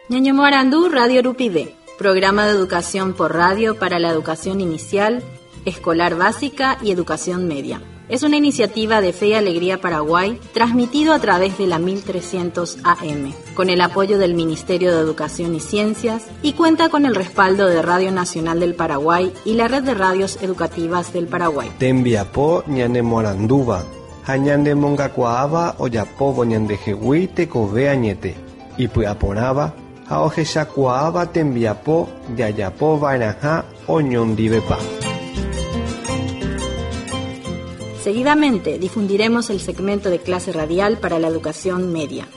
Ñañomoarandu Radio Rupive, programa de educación por radio para la educación inicial, escolar básica y educación media. Es una iniciativa de Fe y Alegría Paraguay, transmitido a través de la 1300 AM, con el apoyo del Ministerio de Educación y Ciencias y cuenta con el respaldo de Radio Nacional del Paraguay y la Red de Radios Educativas del Paraguay. Tembiapo ñanemoarandúva ha ñanemongakuaáva ojapóvo ñandehegui tekove añete, ipy'aporãva ha ohechakuaáva tembiapo jajapova'erãha oñondivepa. Seguidamente difundiremos el segmento de clase radial para la educación media.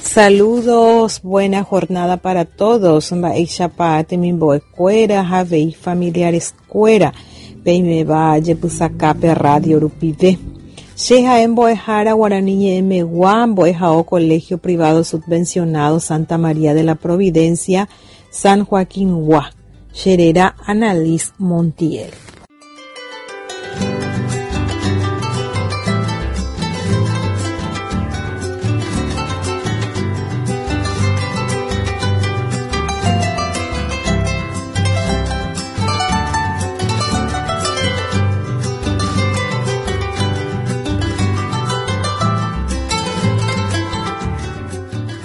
Saludos, buena jornada para todos. Mba'éichapa temimbo'ekuéra ha avei familiares-kuéra peiméva jepysakápe radio rupive. Che ha'e mbo'ehára Guarani ñe'ẽmegua mbo'ehao Colegio Privado Subvencionado Santa María de la Providencia, San Joaquín-gua. Che réra Annalise Montiel.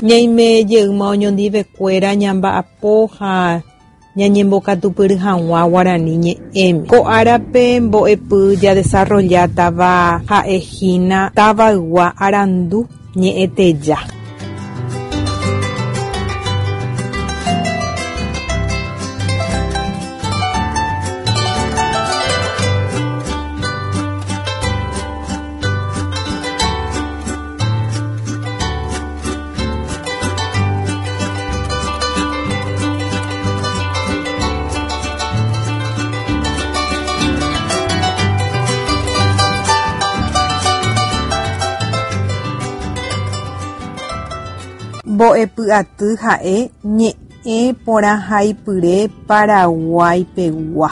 Ñaime jeýma oñondivekuéra ñamba'apo ha ñañembokatupyry hag̃ua guarani ñe'ẽme. Ko árape mbo'epy jadesarrollátava ha'ehína tavaygua arandu ñe'ẽteja. Mbo'epy aty ha'e ñe'ẽporãhaipyre Paraguaipegua.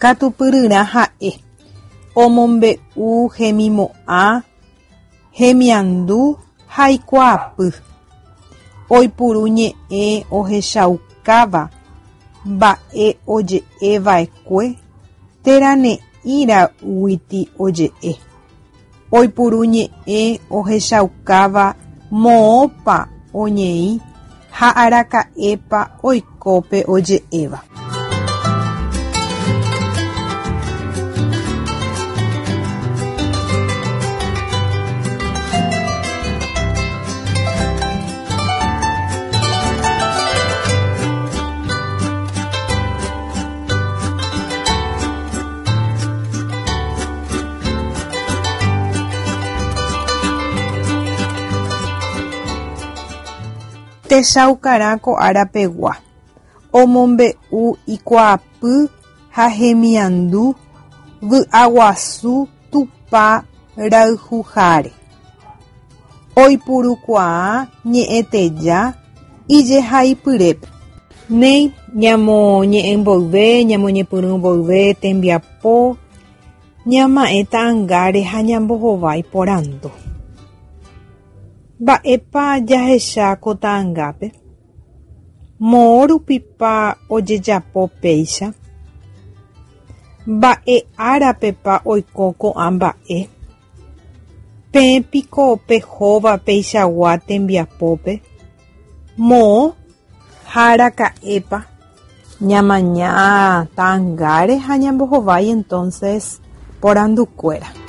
Katupyryrã ha'e omombe'u hemimo'ã, hemiandu ha ikuaapy. Oipuru ñe'ẽ ohechaukáva mba'e oje'eva'ekue térã ne'ĩraguiti oje'e. Oipuru ñe'ẽ ohechaukáva moõpa oñeĩ ha araka'épa oiko pe oje'éva. Techaukarã ko árapegua omombe'u ikuaapy ha hemiandu vy'aguasu Tupã rayhuháre. Oipurukuaa ñe'ẽteja ijehaipyrépe. Néi ñamoñe'ẽ mboyve, ñamoñepyrũ mboyve tembiapo, ñama'ẽ ta'ãngáre ha ñambohovái porandu. Mba'épa jahecha ko ta'ãngápe? Moõ rupípa ojejapo péicha? Mba'e árapepa oiko ko'ã mba'e? Peẽpiko pehóva peichagua tembiapópe? Moõ ha araka'épa? Ñamaña ta'ãngáre ha ñambohovái entonces porandukuéra.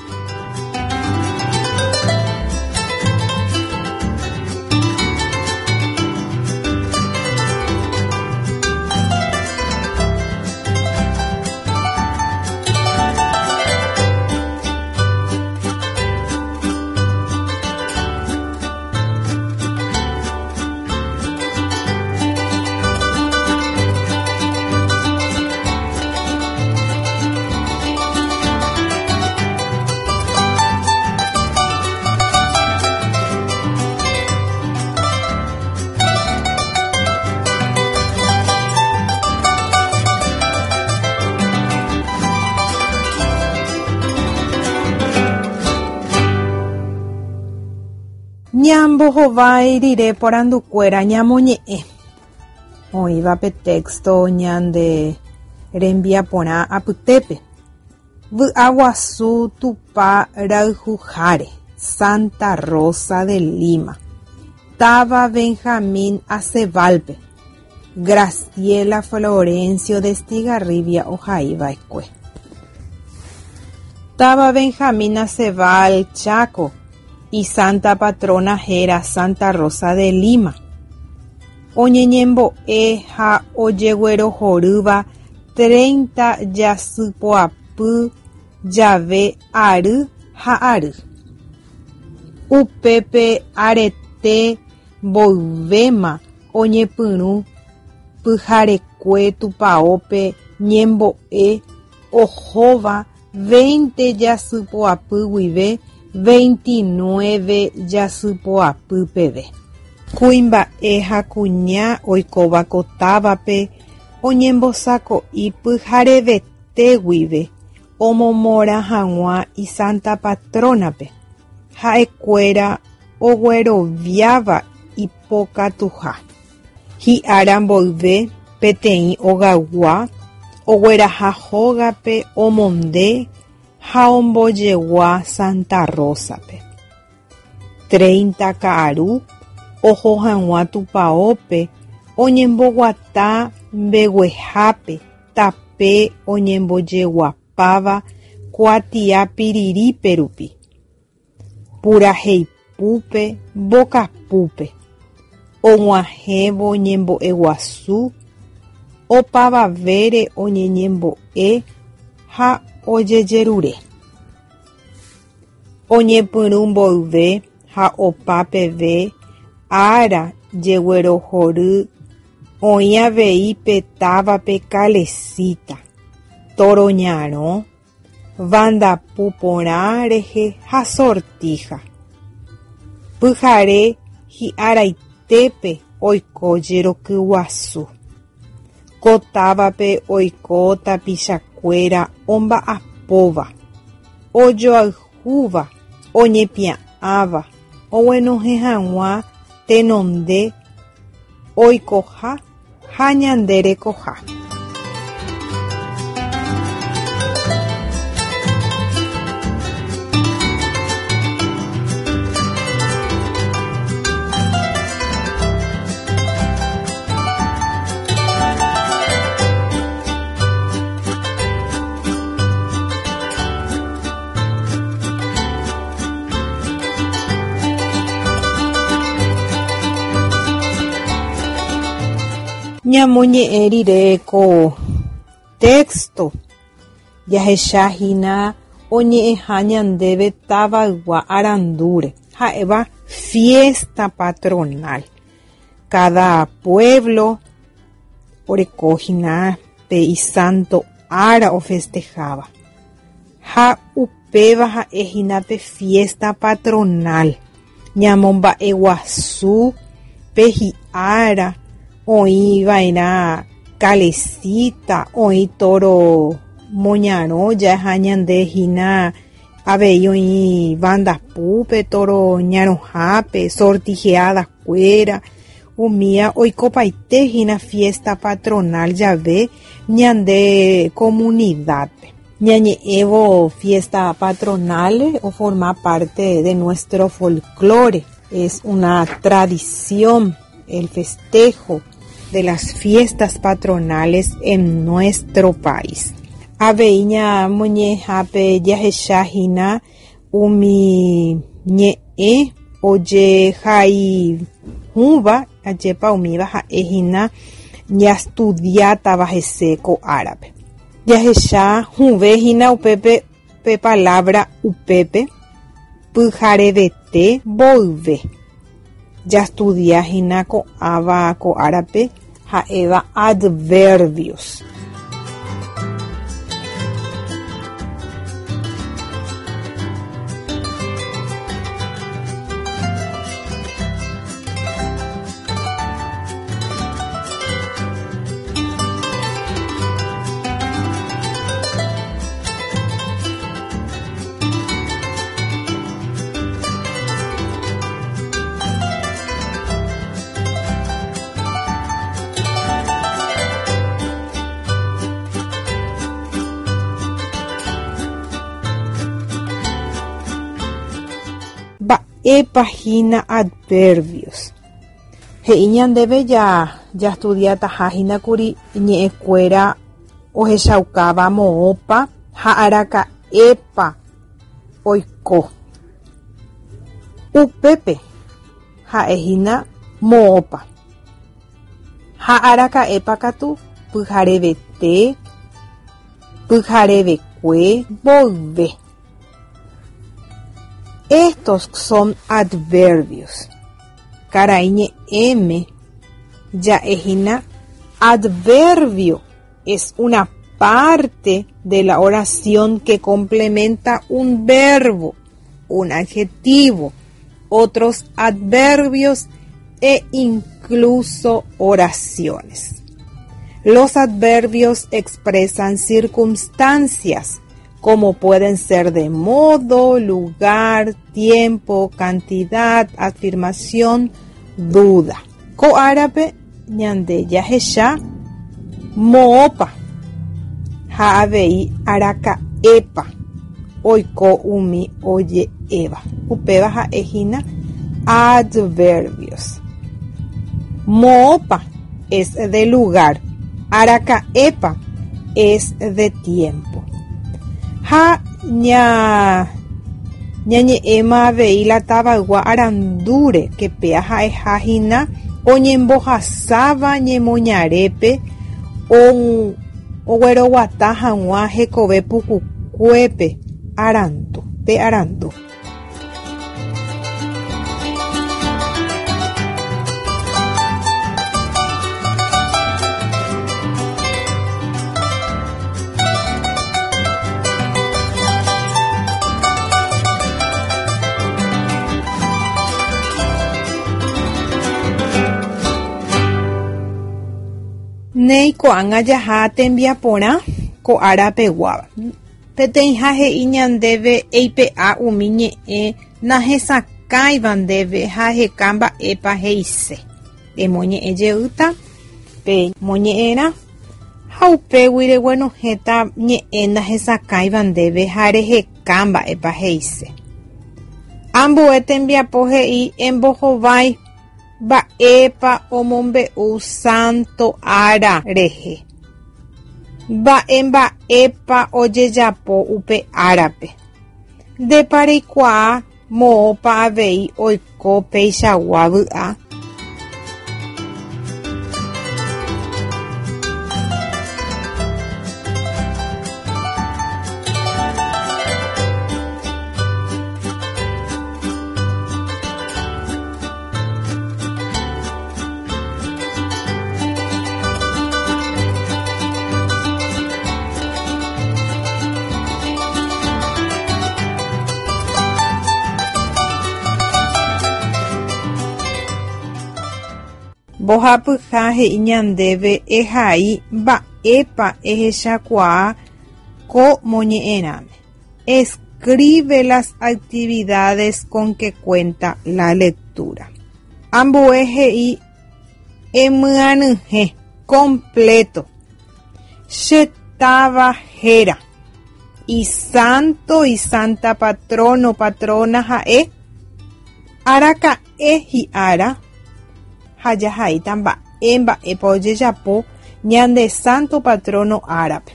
Ñambohovái rire porandukuéra ñamoñe'ẽ oĩva pe texto ñande rembiaporã apytépe. Vy'aguasu Tupã rayhuháre, Santa Rosa de Lima. Táva Benjamín Aceval-pe. Graciela Florencio de Estigarribia ohaiva'ekue. Táva Benjamín Aceval, Chaco, isanta patrona héra Santa Rosa de Lima. Oñeñembo'e ha ojeguerohorýva 30 jasypoapy jave ary ha ary. Upépe arete mboyvéma oñepyrũ pyharekue tupãópe ñembo'e ohóva 20 jasypoapy guive 29 jasypoapy peve. Kuimba'e ha kuña oikóva ko távape oñembosako'i pyharevete guive omomorã hag̃ua isanta patrona-pe. Ha'ekuéra ogueroviáva ipokatuha. Hi'ára mboyve peteĩ ogaygua ogueraha hógape omonde ha ombojegua Santa Rosa-pe. 30 ka'aru oho hag̃ua tupãópe oñemboguata mbeguehápe tape oñembojeguapáva kuatia pirirípe rupi. Puraheipúpe mbokapúpe. Og̃uahẽvo ñembo'eguasu opavavére oñeñembo'e ha ojejerure. Oñepyrũ mboyve ha opa peve ára jeguerohory oĩ avei pe távape calesita, toro ñarõ, vandapu porã rehe ha sortija. Pyhare hi'araitépe oiko jeroky guasu. Ko távape oiko tapichakuéra omba'apóva, ojoayhúva, oñepia'ãva, oguenohẽ hag̃ua tenonde oikoha ha ñande rekoha. Ñamoñe'ẽ rire ko texto jahechahína oñe'ẽha ñandéve tavaygua arandúre ha'éva fiesta patronal. Cada pueblo orekohína pe isanto ára ofestejáva ha upéva ha'ehína pe fiesta patronal. Ñamomba'eguasu pe hi'ára oĩva'erã calesita, oĩ toro moñarõ jaha ñandehína avei oĩ vandapúpe, toro ñarõhápe, sortijeadakuéra umía oikopaitehína fiesta patronal jave ñande comunidad-pe. Ñañe'ẽvo fiesta patronal o forma parte de nuestro folclore. Es una tradición el festejo de las fiestas patronales en nuestro país. Avei ñamoñe'ẽhápe jahechahína umi ñe'ẽ ojehaihũva ajépa umíva ha'ehína ñaestudiátava hese ko árape. Jahecha hũvehína upépe pe palabra upépe pyharevete mboyve. Jaestudiahína ko'ãva ko árape ha'éva adverbios. Mba'épa hína adverbios? He'i ñandéve ja jastudiataha hína kuri ñe'ẽkuéra ohechaukáva moõpa ha araka'épa oiko. Upépe ha'e hína moõpa. Ha araka'épa katu pyharevete, pyharevekue mboyve. Estos son adverbios. Karaiñe'ẽme ja'e hína adverbio es una parte de la oración que complementa un verbo, un adjetivo, otros adverbios e incluso oraciones. Los adverbios expresan circunstancias, como pueden ser de modo, lugar, tiempo, cantidad, afirmación, duda. Ko árape ñande jahecha moõpa ha avei araka'épa oiko umi oje'éva. Upéva ha'e hína adverbios. Moõpa es de lugar, araka'épa es de tiempo. Ha ña ñañe'ẽma avei la tavaygua arandúre ke péa ha'eha hína oñembohasáva ñemoñarépe ogueroguata hag̃ua hekove pukukuépe arandu, pe arandu. Néi ko'ág̃a jaha tembiaporã ko ára peguáva. Peteĩha he'i ñandéve eipe'a umi ñe'ẽ nahesakãiva ndéve ha eheka mba'épa he'ise. Emoñe'ẽ jeýta pe moñe'ẽrã ha upégui reguenohẽta ñe'ẽ nahesakãiva ndéve ha reheka mba'épa he'ise. Ambue tembiapo he'i embohovái mba'épa omombe'u Santo ára rehe. Mba'e mba'épa ojejapo upe árape. Ndépa reikuaa moõpa avei oiko peichagua vy'a? Mbohapyha he'i ñandéve ehai mba'épa ehechakuaa ko moñe'ẽrãme. Escribe las actividades con que cuenta la lectura. Ambue he'i emyanyhẽ, completo, che táva héra, isanto, isanta patrono, patrona ha'e, araka'e hi'ára ha jahaíta mba'e mba'épa ojejapo ñande santo patrono árape.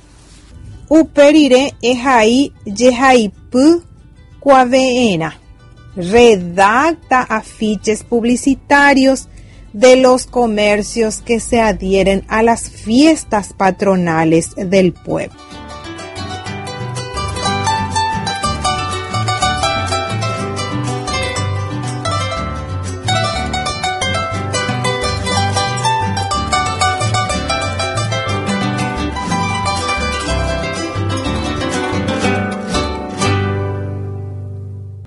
Upe rire ehai jehaipy kuave'ẽrã. Redacta afiches publicitarios de los comercios que se adhieren a las fiestas patronales del pueblo.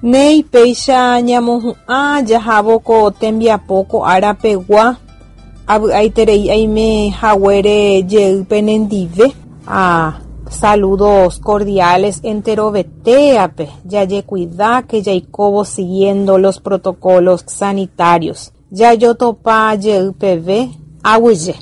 Néi péicha ñamohu'ã jahávo ko tembiapo ko ára pegua, avy'aiterei aime haguére jey penendive. A Saludos cordiales enterovetéape, jajekuidáke jaikóvo siguiendo los protocolos sanitarios. Jajotopa jey peve, aguyje.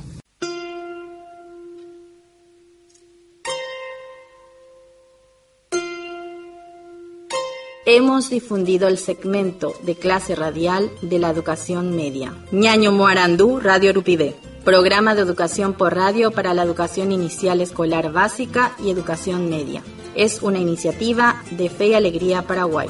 Hemos difundido el segmento de clase radial de la educación media. Ñaño Moarandú, Radio Rupivé. Programa de educación por radio para la educación inicial escolar básica y educación media. Es una iniciativa de Fe y Alegría Paraguay.